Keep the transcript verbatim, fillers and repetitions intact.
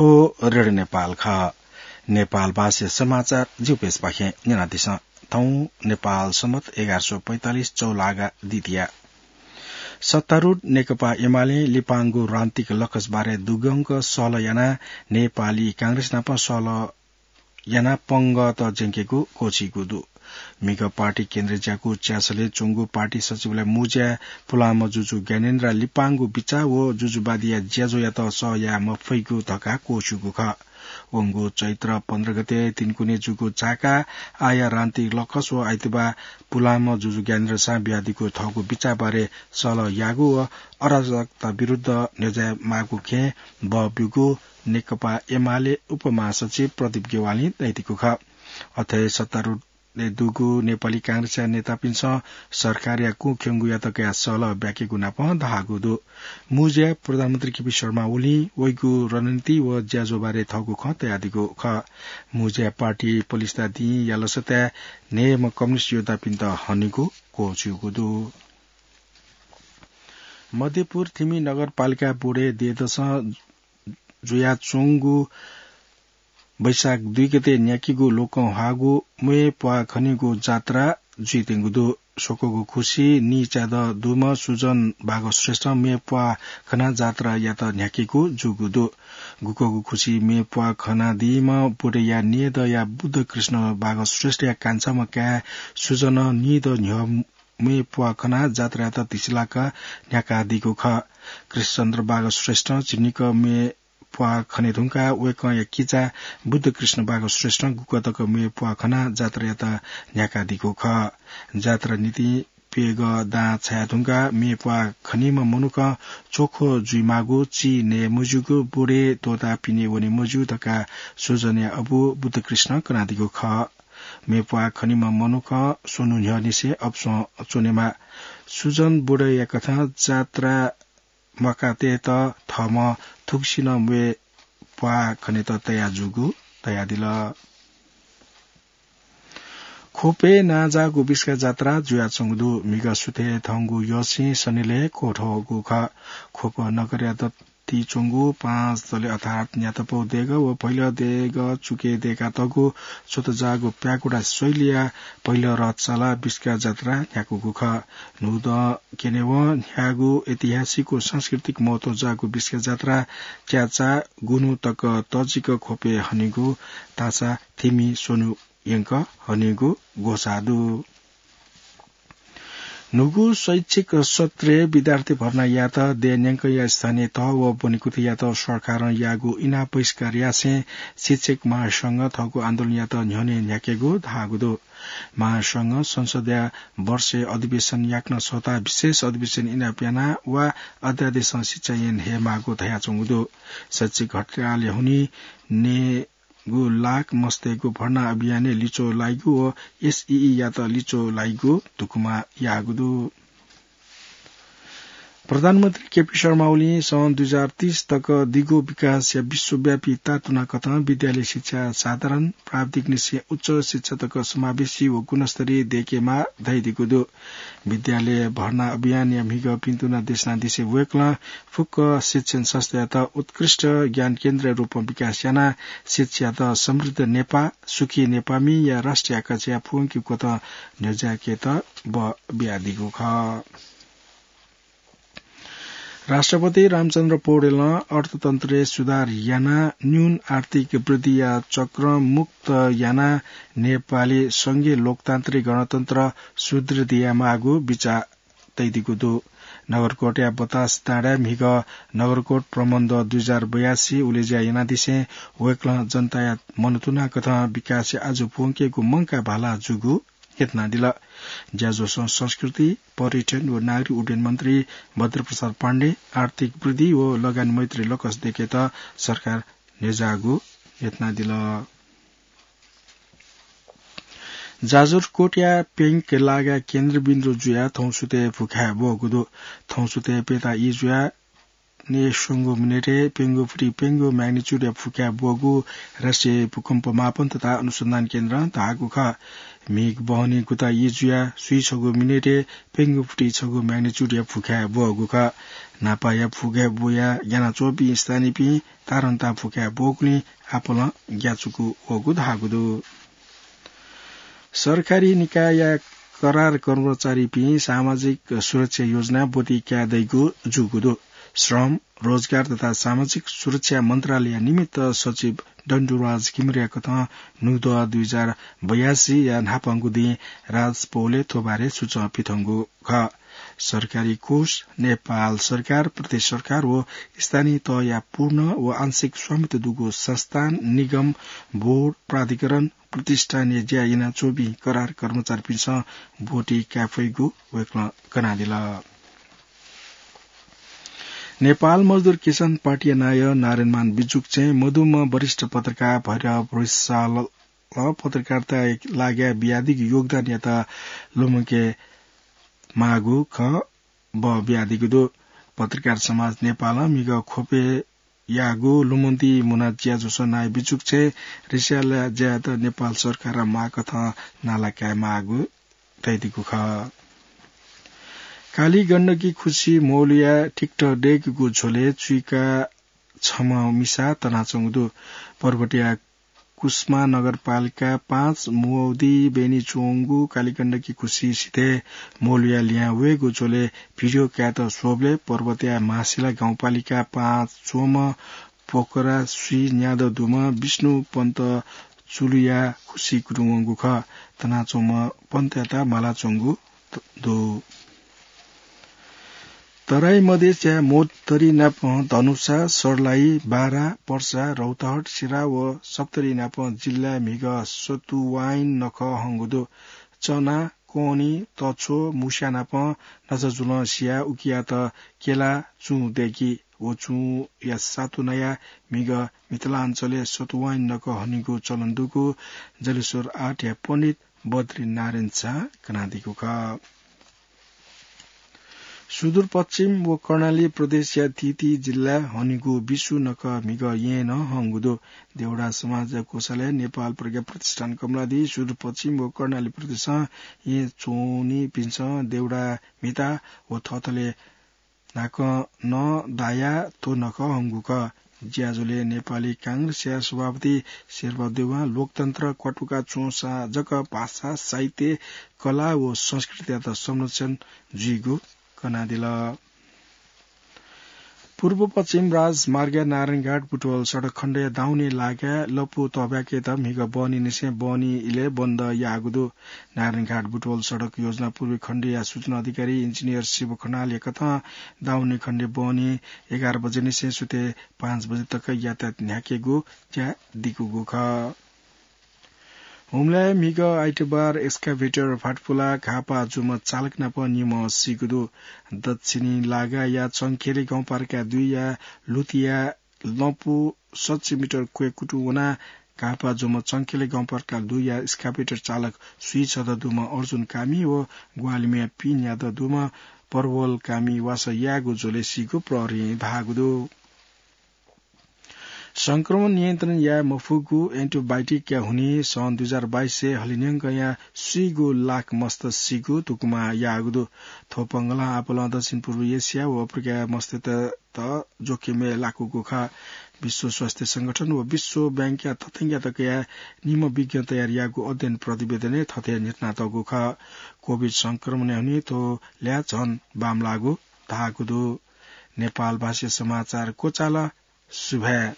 रेडियो नेपाल खः। नेपाल भाषा समाचार जिउपेसपाखें न्यनादिसँ। थौं नेपाल सम्बत एघार सौ पैंतालिस चौलागा दितिया सत्तारूढ नेकपा एमाले लिपांगु रान्तिक लकस बारे दुगंक सहलह यानाः नेपाली कांग्रेस नाप सहलह यानाः पंगत ज्यंकेगु क्वःछीगु दु। म्हिगः पार्टी केन्द्रीय ज्याकू च्यासलय् च्वंगु पार्टी सचिवालय मुँज्याय् पुलांम्ह जुजु ज्ञानेन्द्र लिपांगु बिचाः व जुजुवादीया ज्याझ्वःयात सह याये मफइगु धकाः क्वःछीगु खः। वंगु चैत्र पन्ध्र गते तिनकुने जूगु चाका आःया रान्तिक लकस व आइतबाः पुलांम्ह जुजु ज्ञानेन्द्रसां बियादीगु थःगु बिचाः बारे सहलह याःगु व अराजकता विरुद्ध न्ह्यज्याये माःगु खँय् बः ब्यूगु नेकपा एमाले उपमहासचिव प्रदीप ज्ञवालीं धयादीगु खः। अथे सत्तारूढ दुगु नेपाली कांग्रेसया नेतापिन्सं सरकारया कुँख्यंगुयात कयाः सहलह ब्याकेगु नाप धाःगु दु। मुँज्याय् प्रधानमन्त्री केपी शर्मा ओलीं वइगु रणनीति व ज्याझ्वः बारे थःगु खँ तयादीगु खः। मुँज्याय् पार्टी पलिस्था दिं यालसताय् न्हय्म्ह कम्युनिस्ट योद्धापिन्त हनेगु क्वःछीगु दु। मध्यपुर थिमि नगरपालिका बोडे देदसं जुयाच्वंगु वैशाख दुई गते न्ह्याकीगु लोकंह्वाःगु म्वय् प्वाः खनीगु जात्रा जुइत्यंगु दु। स्वक्वःगु खुसि नीचाय् दुम्ह सुजन बाघ श्रेष्ठं म्वय् प्वाः खनाः जात्रायात न्ह्याकीगु जूगु दु। गुक्वःगु खुसि म्वय् प्वाः खनादीम्ह बोडेया नीदँया बुद्धकृष्ण बाघ श्रेष्ठया कान्छाम्ह काय् सुजनं नीदँ न्ह्यः म्वय् प्वाः खनाः जात्रायात धिसिलाक न्ह्याकादीगु खः। कृष्णचन्द्र बाघ श्रेष्ठं झिंनिकः म्वय् प्वाः खने धुंकाः वय्कःया किजा बुद्धकृष्ण बाघ श्रेष्ठं गुक्वः तक म्वय् प्वाः खनाः जात्रायात न्ह्याकादीगु खः। जात्रा निंतिं प्यगः दां छाये धुंकाः म्वय् प्वाः खनीम्ह मनुखं च्वखो जुइमाःगु, चिं नये मज्यूगु, बोडे त्वःताः पिने वने मज्यू धकाः सुजनया अबु बुद्धकृष्णं कनादीगु खः। म्वय् प्वाः खनीम्ह मनुखं स्वन्हु न्ह्यःनिसें अपसं च्वनेमाः। सुजन बोडेया कथं जात्रा म्वाकातय्त थःम्हं थुगुसिनं म्वय् प्वाः खनेत तयार जूगु धयादिल। ख्वपय् नांजाःगु बिस्का जात्रा जुयाच्वंगु दु। म्हिगः सुथय् थंगु यःसिं सनिलय् क्वथःगु खः। ख्वप नगरया दत्ती च्वंगु पाँच तले अर्थात् न्यातपौ देगः व भैलः देगः चुकय् दय्कातःगु च्वतजाःगु प्यागुडा शैलीया भैलः रथ चालाः बिस्का जात्रा न्ह्याकूगु खः। न्हूदँ क्यनेवं न्ह्याःगु ऐतिहासिक व सांस्कृतिक महत्व जाःगु बिस्का जात्रा च्याचाः गुन्हु तक तजिक ख्वपय् हनीगु धाःसा थिमि स्वन्हु यंक हनीगु ग्वसाः दु। न्हूगु शैक्षिक सत्रय् विद्यार्थी भर्ना यायेत देय् न्यंकया स्थानीय तह व ब्वनेकुथियात सरकारं याःगु इनाप बहिष्कार यासें शिक्षक महासंघं थःगु आन्दोलनयात न्ह्यःने न्ह्याकेगु धाःगु दु। महासंघं संसदया वर्षय् अधिवेशन याकनं सःताः विशेष अधिवेशन इनाप यानाः वा अध्यादेशं शिक्षा ऐन हयेमाःगु धयाच्वंगु दु। शैक्षिक हडतालया हुनिं नयेगु लाख मस्तय्गु भर्ना अभियानय् लिच्वः लाइगु व एसईईयात लिच्वः लाइगु धुकुमा याःगु दु। प्रधानमन्त्री केपी शर्मा ओलीं सन् दुई हजार तीस तक दिगो विकासया विश्वव्यापी तातुना कथं विद्यालय शिक्षा साधारण प्राविधिकनिसें उच्च शिक्षा तक समावेशी व गुणस्तरीय दयेकेमाः धयादीगु दु। विद्यालय भर्ना अभियानया म्हिगः पिन्तुना देशनादिसें वय्कलं फुक्क शिक्षण संस्थायात उत्कृष्ट ज्ञान केन्द्रया रूपं विकास यानाः शिक्षायात समृद्ध नेपाः, सुखी नेपाःमिया राष्ट्रिय आकांक्षाया पूवंकेगु कथं न्ह्यज्याकेत बः बियादीगु खः। राष्ट्रपति रामचन्द्र पौडेलं अर्थतन्त्रय् सुधार यानाः न्यून आर्थिक वृद्धिया चक्रं मुक्त यानाः नेपाली संघीय लोकतान्त्रिक गणतन्त्र सुदृढ यायेमाःगु बिचाः तयादीगु दु। नगरकोटया बतास डाँडाय् म्हिगः नगरकोट प्रबन्ध दुई हजार बयासी उलेज्या यानादिसें वय्कलं जनताया मनंतुना कथं विकासया आजु पूवंकेगु मंकाः भाला जूगु यत्नादिल। ज्याझ्वलय् संस्कृति, पर्यटन व नागरिक उड्डयन मन्त्री भद्रप्रसाद पाण्डे आर्थिक वृद्धि व लगानी मैत्री लकस दयेकेत सरकार न्ह्यज्याःगु यत्नादिल। जाजरकोटया प्यंक लागा केन्द्रबिन्दु जुयाः थौंसुतय् भुखाय् ब्वःगु दु। थौंसुतय् प्यता ई जुयाः नयेस्वंगू मिनेटय् प्यंगू फुति प्यंगू magnitude-या भुखाय् ब्वःगु राष्ट्रिय भूकम्प मापन तथा अनुसन्धान केन्द्रं धाःगु खः। म्हिगः बहनी गुता ई जुयाः स्वीछगू मिनेटय् प्यंगू फुति छगू magnitude-या भुखाय् ब्वःगु खः। न्हापाया फुकाय् बुया ग्यानाच्वंपिं स्थानीयपिं तारन्ता फुकाय् ब्वःगुलिं आपालं ग्याचुकु वःगु धाःगु दु। सरकारी निकायया करार कर्मचारीपिं सामाजिक सुरक्षा योजना ब्वति काये दइगु जूगु दु। श्रम, रोजगार तथा सामाजिक सुरक्षा मन्त्रालय निमित्त सचिव डन्डुराज घिमिरेया कथं न्हूदँ दुई हजार बयासीया न्हापांगु दिं राजपौलय् थ्व बारे सूचं पिथंगु खः। सरकारी कोष, नेपाल सरकार, प्रदेश सरकार व स्थानीय तहया पूर्ण व आंशिक स्वामित्व दुगु संस्थान, निगम, बोर्ड, प्राधिकरण, प्रतिष्ठानय् ज्या यानाच्वंपिं करार कर्मचारीपिन्सं ब्वति काये फइगु वय्कलं कनादिल। नेपाल मजदुर किसान पार्टीया नायः नारायणमान बिजुक्छें मदुम्ह वरिष्ठ पत्रकार भैरव रिसालल पत्रकारिताया लागिं बियादीगु योगदानयात लुमंके माःगु खँ ब बियादीगु दु। पत्रकार समाज नेपालं म्हिगः ख्वपय् याःगु लुमन्ति मुना ज्याझ्वलं नायः बिजुक्छें रिसालया ज्यायात नेपाल सरकारं माःकथं नाला काये माःगु धयादीगु खः। कालीगण्डकी खुसी मौलिया टिकटक दय्कूगु झ्वलय् चुइका छम्ह मिसा तनाच्वंगु दु। पर्वतया कुस्मा नगरपालिका पाँच मुवौदी बेनी च्वंगु कालीगण्डकी खुसी सिथय् मौलिया लिहां वयेगु झ्वलय् भिडियो कायेत स्वःबलय् पर्वतया महासिला गाउँपालिका पाँच च्वंम्ह पोखरा स्वीन्यादँ दुम्ह विष्णु पन्त चुलुया खुसी कुतुं वंगु खः। तनाच्वंम्ह पन्तयात मालाच्वंगु दु। तराई मधेसया महोत्तरी नाप धनुषा, सर्लाही, बारा, पर्सा, रौतहट, सिराहा व सप्तरी नाप जिल्लाय् म्हिगः सतुवाइन नखः हंगु दु। चना, कोहनी, तछ्व, मुस्या नाप नजाजुलं सियाः उकियात केला चुं दय्की। व चुंया सातु नयाः म्हिगः मिथिलाञ्चलय् सतुवाइन नखः हनीगु चलन दुगु जलेश्वर आठया पण्डित बद्री नारायण झां कनादीगु खः। सुदूरपश्चिम व कर्णाली प्रदेशया तीती जिल्लाय् हनीगु बिस्सु नखः म्हिगः येँ नं हंगु दु। देउडा समाज कोषालय, नेपाल प्रज्ञा प्रतिष्ठान कमलादी, सुदूरपश्चिम व कर्णाली प्रदेशं येँ च्वनीपिन्सं देउडा म्हिता व थःथले न्हाकं नं दायाः थ्व नखः हंगु खः। ज्याझ्वलय् नेपाली कांग्रेसया सभापति शेरबहादुर देवां लोकतन्त्र क्वातुका च्वंसा जक भाषा, साहित्य, कला व संस्कृतियात संरक्षण जुइगु कनादिल। पूर्व पश्चिम राजमार्गया नारायणघाट बुटवल सडक खण्डया दाउने लागाय् लँपु तःब्याकेत म्हिगः बहनीनिसें बहनी इलय् बन्द याःगु दु। नारायणघाट बुटवल सडक योजना पूर्वी खण्डया सूचना अधिकारी इन्जिनियर शिव खनालया कथं दाउने खण्डे बहनी एघार बजेनिसें सुथय् पाँच बजे तक यातायात न्ह्याकेगु ज्या दिकूगु खः। हुम्लाय् म्हिगः आइतबार एक्सकाभेटर फातपुलाः घाःपाः जूम्ह चालक नाप निम्ह सीगु दु। दक्षिणी लागाया चंखेले गाउँपालिका दुईया लुतिया लँपु सच्छि मिटर क्वय् कुतुं वनाः घाःपाः जूम्ह चंखेले गाउँपालिका दुईया एक्सकाभेटर चालक स्वीछदँ दुम्ह अर्जुन कामी व ग्वाहालि म्ये पीन्यादँ दुम्ह परवल कामी वासः यायेगु झ्वलय् सीगु प्रहरीं धाःगु दु। संक्रमण नियन्त्रण याये मफुगु एन्टिबायोटिकया हुनिं सन् दुई हजार बाइसय् हलिंन्यंकया स्वीगू लाख मस्त सीगु धुकुमा याःगु दु। थ्व पंगलं आपालं दक्षिण पूर्व एसिया व अफ्रिकाया मस्तय्त जोखिमय् लाकूगु खः। विश्व स्वास्थ्य संगठन व विश्व बैंकया तथ्यांकयात कयाः निम्ह विज्ञ तयार याःगु अध्ययन प्रतिवेदनय् थथे न्ह्यथनातःगु खः। कोभिड संक्रमणया हुनिं थ्व ल्याः झन बांमलाःगु धाःगु दु। नेपाल भाषाया समाचार क्वचाल। सुभाय्।